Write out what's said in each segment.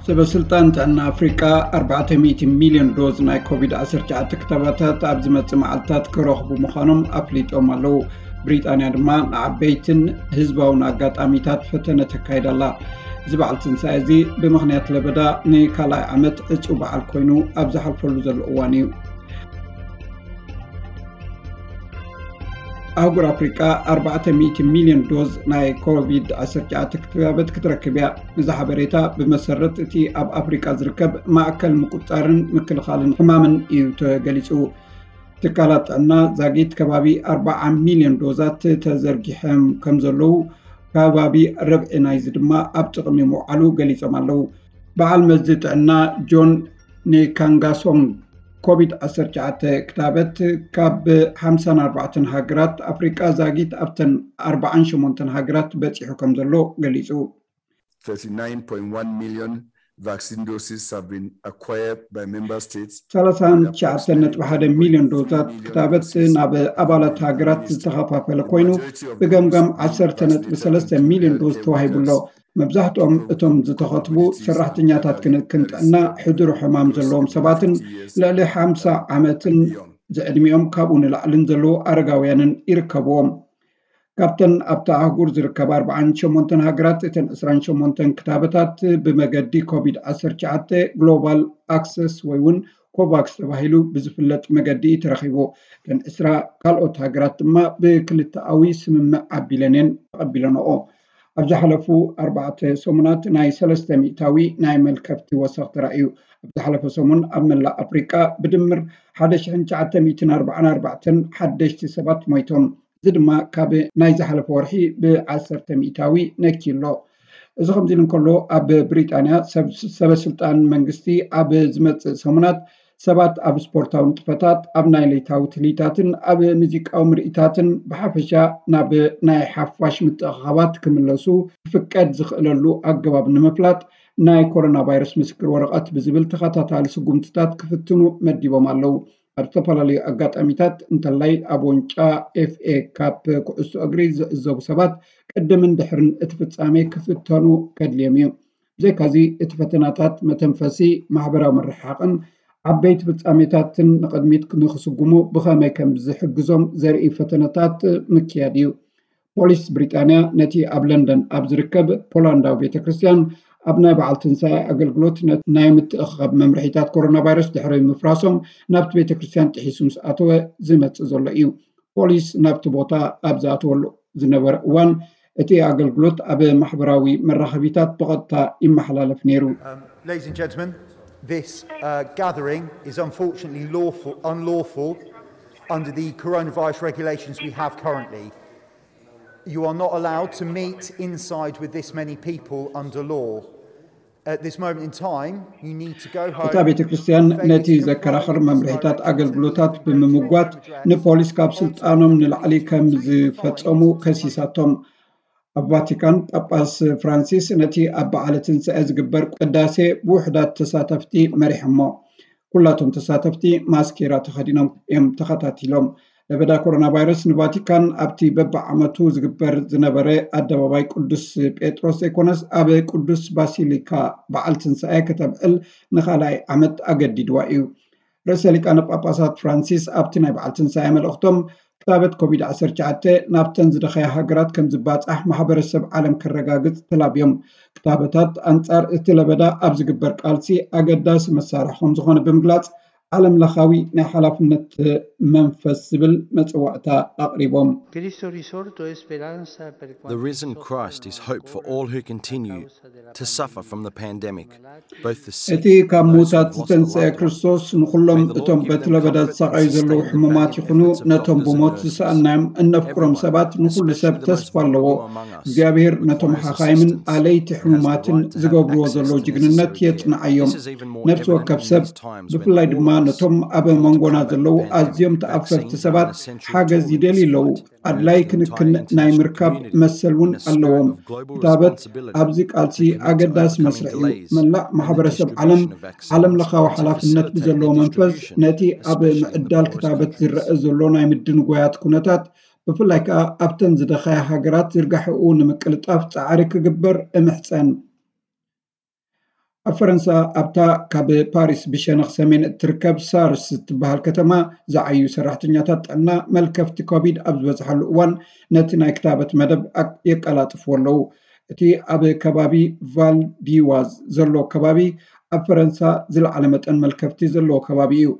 ሰበ ስልጣን ጥዕና ኣፍሪቃ ኣርባዕተ ሚእቲ ሚልዮን ዶዝ ናይ ኮቪድ ዓሰርተ ትሽዓተ ክታባታት ኣብ ዝመጽእ መዓልታት ክረኽቡ ምዃኖም ኣፍሊጦም ኣለዉ። ብሪጣንያ ድማ ንዓበይትን ህዝባውን ኣጋጣሚታት ፈተነ ተካይዳ ኣላ። እዚ በዓል ትንሳኤ እዚ ብምኽንያት ለበዳ ንካልኣይ ዓመት ዕጹው በዓል ኮይኑ ኣብ ዝሓልፈሉ ዘሎ እዋን እዩ። ኣህጉር ኣፍሪቃ ኣርባዕተ ሚእቲ ሚልዮን ዶዝ ናይ ኮቪድ ዓሰርተ ትሽዓተ ክታበት ክትረክብ እያ። እዚ ሓበሬታ ብመሰረት እቲ ኣብ ኣፍሪቃ ዝርከብ ማእከል ምቁጻርን ምክልኻልን ሕማምን እዩ ተገሊጹ። ትካላት ጥዕና ዛጊት ከባቢ ኣርባዓ ሚልዮን ዶዛት ተዘርጊሖም ከም ዘለዉ፣ ከባቢ ርብዒ ናይዚ ድማ ኣብ ጥቕሚ ምውዓሉ ገሊጾም ኣለዉ። በዓል መዚ ጥዕና ጆን ኒካንጋሶንግ፣ ኮቪድ ዓሰርተ ትሽዓተ ክታበት ካብ ሓምሳን ኣርባዕተን ሃገራት ኣፍሪቃ ዛጊት ኣብተን ኣርባዓን ሸሞንተን ሃገራት በጺሑ ከም ዘሎ ገሊጹ። thirty-nine point one million vaccine doses have been acquired by member states. ሰላሳን ትሽዓተን ነጥቢ ሓደ ሚልዮን ዶዛት ክታበት ናብ ኣባላት ሃገራት ዝተኸፋፈለ ኮይኑ፣ ብገምጋም ዓሰርተ ነጥቢ ሰለስተ ሚልዮን ዶዝ ተዋሂቡ ኣሎ። መብዛሕትኦም እቶም ዝተኸትቡ ሰራሕተኛታት ክንክን ጥዕና፣ ሕዱር ሕማም ዘለዎም ሰባትን ልዕሊ ሓምሳ ዓመትን ዝዕድሚኦም ካብኡ ንላዕልን ዘለዉ ኣረጋውያንን ይርከብዎም። ካብተን ኣብታ ኣህጉር ዝርከባ ኣርባዓን ሸሞንተን ሃገራት፣ እተን ዕስራን ሸሞንተን ክታበታት ብመገዲ ኮቪድ ዓሰርተ ትሽዓተ ግሎባል ኣክሰስ ወይ እውን ኮቫክስ ተባሂሉ ብዝፍለጥ መገዲ እዩ ተረኺቡ። እተን ዕስራ ካልኦት ሃገራት ድማ ብክልተኣዊ ስምምዕ ኣቢለን እየን ተቐቢለንኦ። ኣብ ዝሓለፉ ኣርባዕተ ሰሙናት ናይ ሰለስተ ሚእታዊ ናይ መልከፍቲ ወሰኽ ተራእዩ። ኣብ ዝሓለፈ ሰሙን ኣብ መላእ ኣፍሪቃ ብድምር ሓደ ሽሕን ትሽዓተ ሚእትን ኣርባዓን ኣርባዕተን ሓደሽቲ ሰባት ሞይቶም። እዚ ድማ ካብ ናይ ዝሓለፈ ወርሒ ብዓሰርተ ሚእታዊ ነኪ ኣሎ። እዚ ከምዚ ኢሉ እንከሎ፣ ኣብ ብሪጣንያ ሰብ-፣ ሰበ ስልጣን መንግስቲ ኣብ ዝመጽእ ሰሙናት ሰባት ኣብ ስፖርታዊ ንጥፈታት፣ ኣብ ናይ ለይታዊ ትልሂታትን ኣብ ሙዚቃዊ ምርኢታትን ብሓፈሻ ናብ ናይ ሓፋሽ ምትእኽኻባት ክምለሱ ክፍቀድ ዝኽእለሉ ኣገባብ ንምፍላጥ ናይ ኮሮና ቫይረስ ምስክር ወረቐት ብዝብል ተኸታታሊ ስጉምትታት ክፍትኑ መዲቦም ኣለዉ። ኣብ ዝተፈላለዩ ኣጋጣሚታት እንተላይ ኣብ ዋንጫ ኤፍኤ ካፕ ኩዕሶ እግሪ ዝዕዘቡ ሰባት ቅድምን ድሕርን እቲ ፍጻሜ ክፍተኑ ከድልዮም እዩ። ብዘይካዚ እቲ ፈተናታት መተንፈሲ፣ ማሕበራዊ ምርሕሓቕን ዓበይቲ ፍጻሜታትን ንቕድሚት ንክስጉሙ ብኸመይ ከም ዝሕግዞም ዘርኢ ፈተነታት ምክያድ እዩ። ፖሊስ ብሪጣንያ ነቲ ኣብ ለንደን ኣብ ዝርከብ ፖላንዳዊ ቤተ ክርስቲያን ኣብ ናይ በዓል ትንሳኤ ኣገልግሎት ነ-፣ ናይ ምትእኽኻብ መምርሒታት ኮሮና ቫይረስ ድሕሪ ምፍራሶም ናብቲ ቤተ ክርስቲያን ጥሒሱ ምስ ኣተወ ዝመጽእ ዘሎ እዩ። ፖሊስ ናብቲ ቦታ ኣብ ዝኣተወሉ ዝነበረ እዋን እቲ ኣገልግሎት ኣብ ማሕበራዊ መራኸቢታት ብቐጥታ ይመሓላለፍ ነይሩ። Um, ladies and gentlemen, this uh, gathering is unfortunately lawful, unlawful under the coronavirus regulations we have currently. You are not allowed to meet inside with this many people under law. At this moment in time, you need to go home. እታ ቤተ ክርስቲያን ነቲ ዘከራኽር መምርሒታት ኣገልግሎታት ብምምጓት ንፖሊስ ካብ ስልጣኖም ንላዕሊ ከም ዝፈጸሙ ከሲሳቶም። ኣብ ቫቲካን ጳጳስ ፍራንሲስ ነቲ ኣብ በዓለ ትንሳኤ ዝግበር ቅዳሴ ብውሑዳት ተሳተፍቲ መሪሖሞ። ኩላቶም ተሳተፍቲ ማስኬራ ተኸዲኖም እዮም ተኸታቲሎም። ለበዳ ኮሮና ቫይረስ ንቫቲካን ኣብቲ በብዓመቱ ዝግበር ዝነበረ ኣደባባይ ቅዱስ ጴጥሮስ ዘይኮነስ ኣብ ቅዱስ ባሲሊካ በዓል ትንሳኤ ከተብዕል ንኻልኣይ ዓመት ኣገዲድዋ እዩ። ርእሰ ሊቃነ ጳጳሳት ፍራንሲስ ኣብቲ ናይ በዓል ትንሳኤ መልእኽቶም ክታበት ኮቪድ ዓሰርተ ትሽዓተ ናብተን ዝደኸያ ሃገራት ከም ዝባጻሕ ማሕበረሰብ ዓለም ከረጋግጽ ተላብዮም። ክታበታት ኣንጻር እቲ ለበዳ ኣብ ዝግበር ቃልሲ ኣገዳሲ መሳርሒ ከም ዝኾነ ብምግላጽ ዓለም ለኻዊ ናይ ሓላፍነት መንፈስ ዝብል መጽዋዕታ ኣቕሪቦም። Cristo risorto è speranza per The risen Christ is hope for all who continue to suffer from the pandemic, both the እቲ sick ካብ and those ምዉታት who've lost a ዝተንስአ loved one. ክርስቶስ ንኹሎም እቶም በቲ ለበዳ ዝሳቐዩ ዘለዉ ሕሙማት ይኹኑ ነቶም ብሞት ዝሰኣናዮም እነፍቅሮም ሰባት ንኹሉ ሰብ ተስፋ ኣለዎ። እግዚኣብሔር ነቶም ሓኻይምን ኣለይቲ ሕሙማትን ዝገብርዎ ዘለዉ ጅግንነት የጽንዓዮም። ነፍሲ ወከፍ ሰብ ብፍላይ ድማ ነቶም ኣብ መንጎና ዘለዉ ኣዝዮም ተኣፈፍቲ ሰባት ሓገዝ ይደልዩ ኣለዉ። ኣድላይ ክንክን ናይ ምርካብ መሰል እውን ኣለዎም። ክታበት ኣብዚ ቃልሲ ኣገዳሲ መስርሕ እዩ። መላእ ማሕበረሰብ ዓለም ዓለም ለኻዊ ሓላፍነት ብዘለዎ መንፈስ ነቲ ኣብ ምዕዳል ክታበት ዝረአ ዘሎ ናይ ምድንጓያት ኩነታት ብፍላይ ከኣ ኣብተን ዝደኸያ ሃገራት ዝርጋሕኡ ንምቅልጣፍ ጻዕሪ ክግበር እምሕጸን። ኣብ ፈረንሳ፣ ኣብታ ካብ ፓሪስ ብሸነኽ ሰሜን እትርከብ ሳርስ እትበሃል ከተማ ዝዓዩ ሰራሕተኛታት ጥዕና፣ መልከፍቲ ኮቪድ ኣብ ዝበዝሓሉ እዋን ነቲ ናይ ክታበት መደብ የቀላጥፍዎ ኣለዉ። እቲ ኣብ ከባቢ ቫልዲዋዝ ዘሎ ከባቢ ኣብ ፈረንሳ ዝለዓለ መጠን መልከፍቲ ዘለዎ ከባቢ እዩ።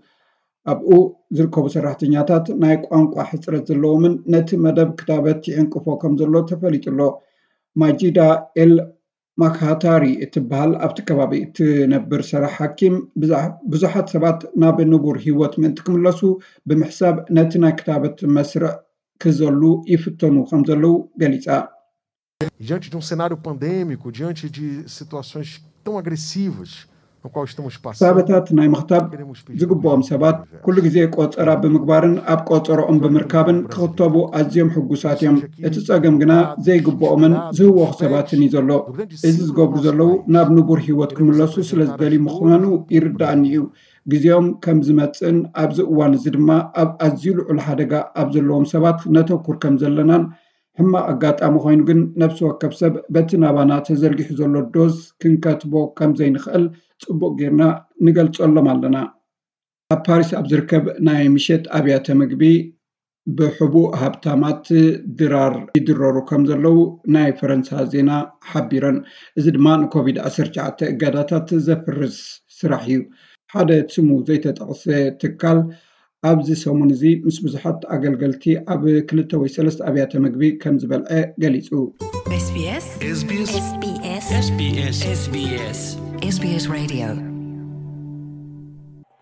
ኣብኡ ዝርከቡ ሰራሕተኛታት ናይ ቋንቋ ሕፅረት ዘለዎምን ነቲ መደብ ክታበት ይዕንቅፎ ከም ዘሎ ተፈሊጡ ኣሎ። ማጂዳ ኤል ማክሃታሪ እትበሃል ኣብቲ ከባቢ እትነብር ሰራሕ ሓኪም፣ ብዙሓት ሰባት ናብ ንቡር ህይወት ምእንቲ ክምለሱ ብምሕሳብ ነቲ ናይ ክታበት መስርዕ ክዘሉ ይፍተኑ ከም ዘለዉ ገሊጻ። Diante de um cenário pandêmico, diante de situações tão agressivas, ክታበታት ናይ ምኽታብ ዝግብኦም ሰባት ኩሉ ግዜ ቆፀራ ብምግባርን ኣብ ቆፀሮኦም ብምርካብን ክኽተቡ ኣዝዮም ሕጉሳት እዮም። እቲ ፀገም ግና ዘይግብኦምን ዝህወኹ ሰባትን እዩ ዘሎ። እዚ ዝገብሩ ዘለዉ ናብ ንቡር ህይወት ክምለሱ ስለ ዝደልዩ ምዃኑ ይርዳእኒ እዩ። ግዜኦም ከም ዝመፅእን ኣብዚ እዋን እዚ ድማ ኣብ ኣዝዩ ልዑል ሓደጋ ኣብ ዘለዎም ሰባት ነተኩር ከም ዘለናን ሕማቕ ኣጋጣሚ ኮይኑ ግን ነፍሲ ወከፍ ሰብ በቲ ናባና ተዘርጊሑ ዘሎ ዶዝ ክንከትቦ ከም ዘይንኽእል ጽቡቕ ጌርና ንገልጸሎም ኣለና። ኣብ ፓሪስ ኣብ ዝርከብ ናይ ምሸት ኣብያተ ምግቢ ብሕቡእ ሃብታማት ድራር ይድረሩ ከም ዘለዉ ናይ ፈረንሳ ዜና ሓቢረን። እዚ ድማ ንኮቪድ ዓሰርተ ትሽዓተ እገዳታት ዘፍርስ ስራሕ እዩ። ሓደ ስሙ ዘይተጠቕሰ ትካል ኣብዚ ሰሙን እዚ ምስ ብዙሓት ኣገልገልቲ ኣብ ክልተ ወይ ሰለስተ ኣብያተ ምግቢ ከም ዝበልዐ ገሊጹ። SBS SBS SBS Radio